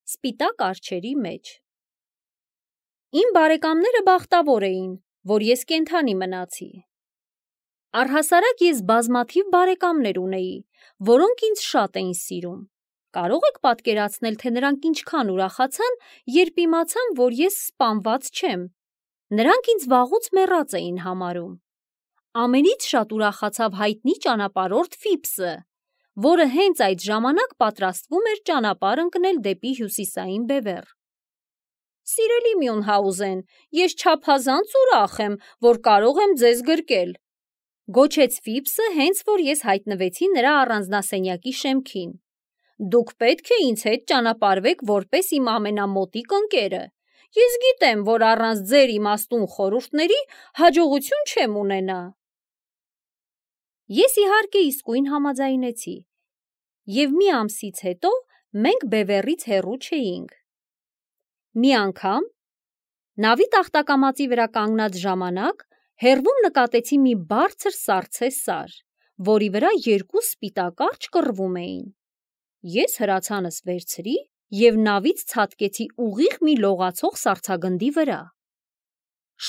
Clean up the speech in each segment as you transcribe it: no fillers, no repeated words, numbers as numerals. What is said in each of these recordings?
սպիտակ արջերի մեջ։ Իմ բարեկամները բախտավոր էին, որ ես կենդանի մնացի։ Առհասարակ ես բազմաթիվ բարեկամներ ունեի, որոնք ինձ շատ էին սիրում։ Կարող եք պատկերացնել, թե նրանք ինչքան ուրախացան, երբ իմացան, որ ես սպանված չեմ։ Նրանք ինձ վաղուց մեռած էին համարում։ Ամենից շատ ուրախացավ հայտնի ճանապարհորդ Ֆիփսը, որը հենց այդ ժամանակ պատրաստվում էր ճանապարհ ընկնել դեպի հյուսիսային բևեռ։ Սիրելի Մյունհաուզեն, ես չափազանց ուրախ եմ, որ կարող եմ ձեզ գրկել, գոչեց Ֆիփսը, հենց որ ես հայտնվեցի նրա առանձնասենյակի շեմքին։ Դուք պետք է ինձ հետ ճանապարհվեք որպես իմ ամենամոտիկ ընկերը։ Ես գիտեմ, որ առանց ձեր իմաստուն խորհուրդների հաջողություն չեմ ունենա։ Ես իհարկե իսկույն համաձայնեցի, և մի ամսից հետո մենք բևեռից հեռու չէինք։ Մի անգամ, նավի տախտակամածի վրա կանգնած ժամանակ, հեռվում նկատեցի մի բարձր սառցե սար, որի վրա երկու սպիտակ արջեր կռվում էին։ Ես հրացանս վերցրի և նավից ցատկեցի ուղիղ մի լողացող սառցագնդի վրա։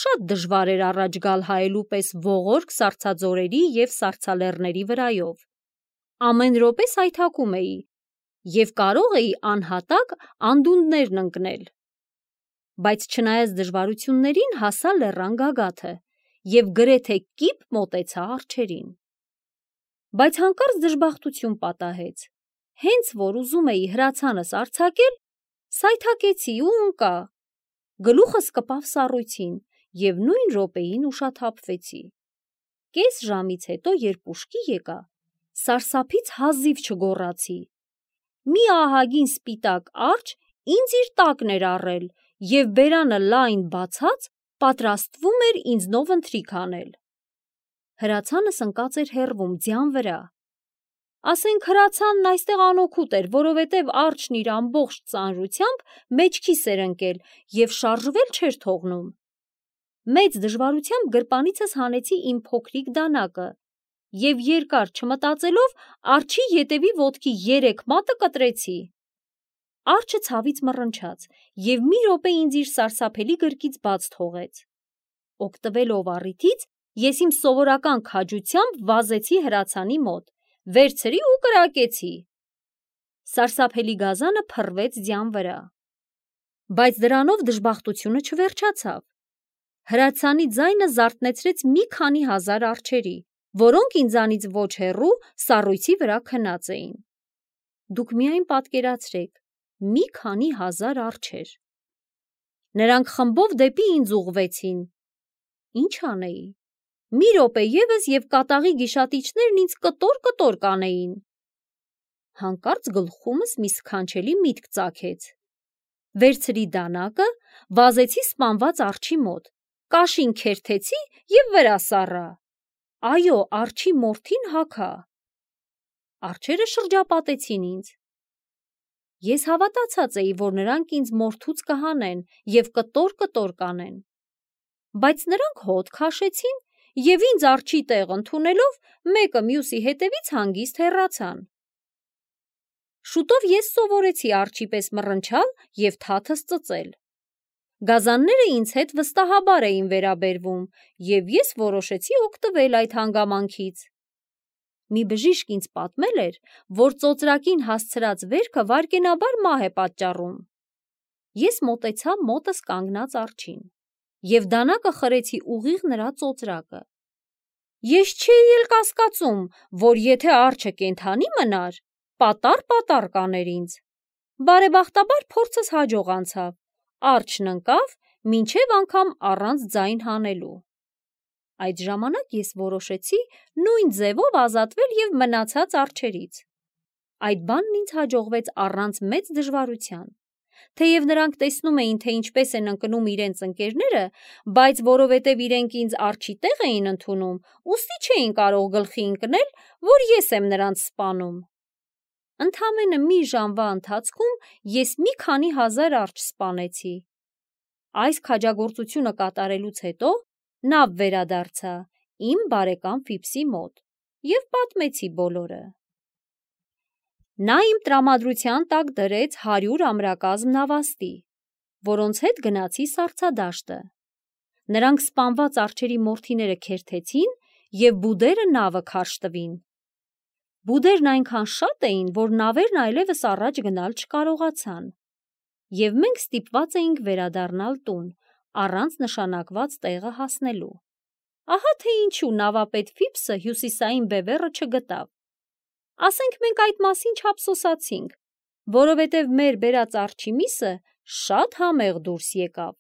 Շատ դժվար էր առաջ գալ հայելու պես ողորկ սառցաձորերի և սառցալեռների վրայով։ Ամեն րոպե սայթաքում էի և կարող էի անհատակ անդունդներն ընկնել։ Բայց չնայած դժվարություններին հասա լեռան գագաթը և գրեթե կիպ մոտեցա արջերին։ Բայց հանկարծ դժբախտություն պատահեց։ Հենց որ ուզում էի հրացանս արձակել, սայթաքեցի ու ընկա։ Գլուխս կպավ սառույցին և նույն րոպեին ուշաթափվեցի։ Կես ժամից հետո, երբ ուշքի եկա, սարսափից հազիվ չգոռացի։ Մի ահագին սպիտակ արջ ինձ իր տակն էր առել և բերանը լայն բացած պատրաստվում էր ինձնով ընթրիք անել։ Հրացանս ընկած էր հեռվում, ձյան վրա։ Ասենք հրացանն այստեղ անօգուտ էր, որովհետև արջն իր ամբողջ ծանրությամբ մեջքիս էր ընկել և շարժվել չէր թողնում։ Մեծ դժվարությամբ գրպանիցս հանեցի իմ փոքրիկ դանակը և երկար չմտածելով արջի ետևի ոտքի 3 մատը կտրեցի։ Արջը ցավից մռնչաց և մի րոպե ինձ իր սարսափելի գրկից բաց թողեց։ Օգտվելով առիթից, ես իմ սովորական քաջությամբ վազեցի հրացանի մոտ, վերցրի ու կրակեցի։ Սարսափելի գազանը փռվեց ձյան վրա։ Բայց դրանով դժբախտությունը չվերջացավ։ Հրացանի ձայնը զարթնեցրեց մի քանի հազար արջերի, որոնք ինձանից ոչ հեռու սառույցի վրա քնած էին։ Դուք միայն պատկերացրեք, մի քանի հազար արջեր։ Նրանք խմբով դեպի ինձ ուղղվեցին։ Ինչ անեի։ Մի րոպե ևս և կատաղի գիշատիչներն ինձ կտոր-կտոր կանեին։ Հանկարծ գլխումս մի սքանչելի միտք ծագեց։ Վերցրի դանակը, վազեցի սպանված արջի մոտ, կաշին քերթեցի և վրա սառա։ Այո, արջի մորթին հագա։ Արջերը շրջապատեցին ինձ։ Ես հավատացած էի, որ նրանք ինձ մորթուց կհանեն և կտոր-կտոր կանեն։ Բայց նրանք հոտ քաշեցին և ինձ արջի տեղ ընդունելով, մեկը մյուսի հետևից հանգիստ հեռացան։ Շուտով ես սովորեցի արջի պես մռնչալ և թաթս ծծել։ Գազանները ինձ հետ վստահաբար էին վերաբերվում, և ես որոշեցի օգտվել այդ հանգամանքից։ Մի բժիշկ ինձ պատմել էր, որ ծոծրակին հասցրած վերքը վայրկենաբար մահ է պատճառում։ Ես մոտեցա մոտս կանգնած արջին և դանակը խրեցի ուղիղ նրա ծոծրակը։ Ես չէի էլ կասկածում, որ եթե արջը կենդանի մնար, պատառ-պատառ կաներ ինձ։ Բարեբախտաբար փորձս հաջող անցավ։ Արջն ընկավ, մինչև անգամ առանց ձայն հանելու։ Այդ ժամանակ ես որոշեցի նույն ձևով ազատվել և մնացած արջերից։ Այդ բանն ինձ հաջողվեց առանց մեծ դժվարության։ Թեև նրանք տեսնում էին, թե ինչպես են ընկնում իրենց ընկերները, բայց որովհետև իրենք ինձ արջի տեղ էին ընդունում, ուստի չէին կարող գլխի ընկնել, որ ես եմ նրանց սպանում։ Ընդամենը մի ժամվա ընթացքում ես մի քանի հազար արջ սպանեցի։ Այս քաջագործությունը կատարելուց հետո նավ վերադարձա իմ բարեկամ Ֆիփսի մոտ և պատմեցի բոլորը։ Նա իմ տրամադրության տակ դրեց 100 ամրակազմ նավաստի, որոնց հետ գնացի սառցադաշտը։ Նրանք սպանված արջերի մորթիները քերթեցին և բուդերը նավը քարշ տվին։ Բուդերն այնքան շատ էին, որ նավերն այլևս առաջ գնալ չկարողացան, և մենք ստիպված էինք վերադառնալ տուն, առանց նշանակված տեղը հասնելու։ Ահա թե ինչու նավապետ Ֆիփսը հյուսիսային բևեռը չգտավ։ Ասենք մենք այդ մասին չափսոսացինք, որովհետև մեր բերած արջի միսը շատ համեղ դուրս եկավ։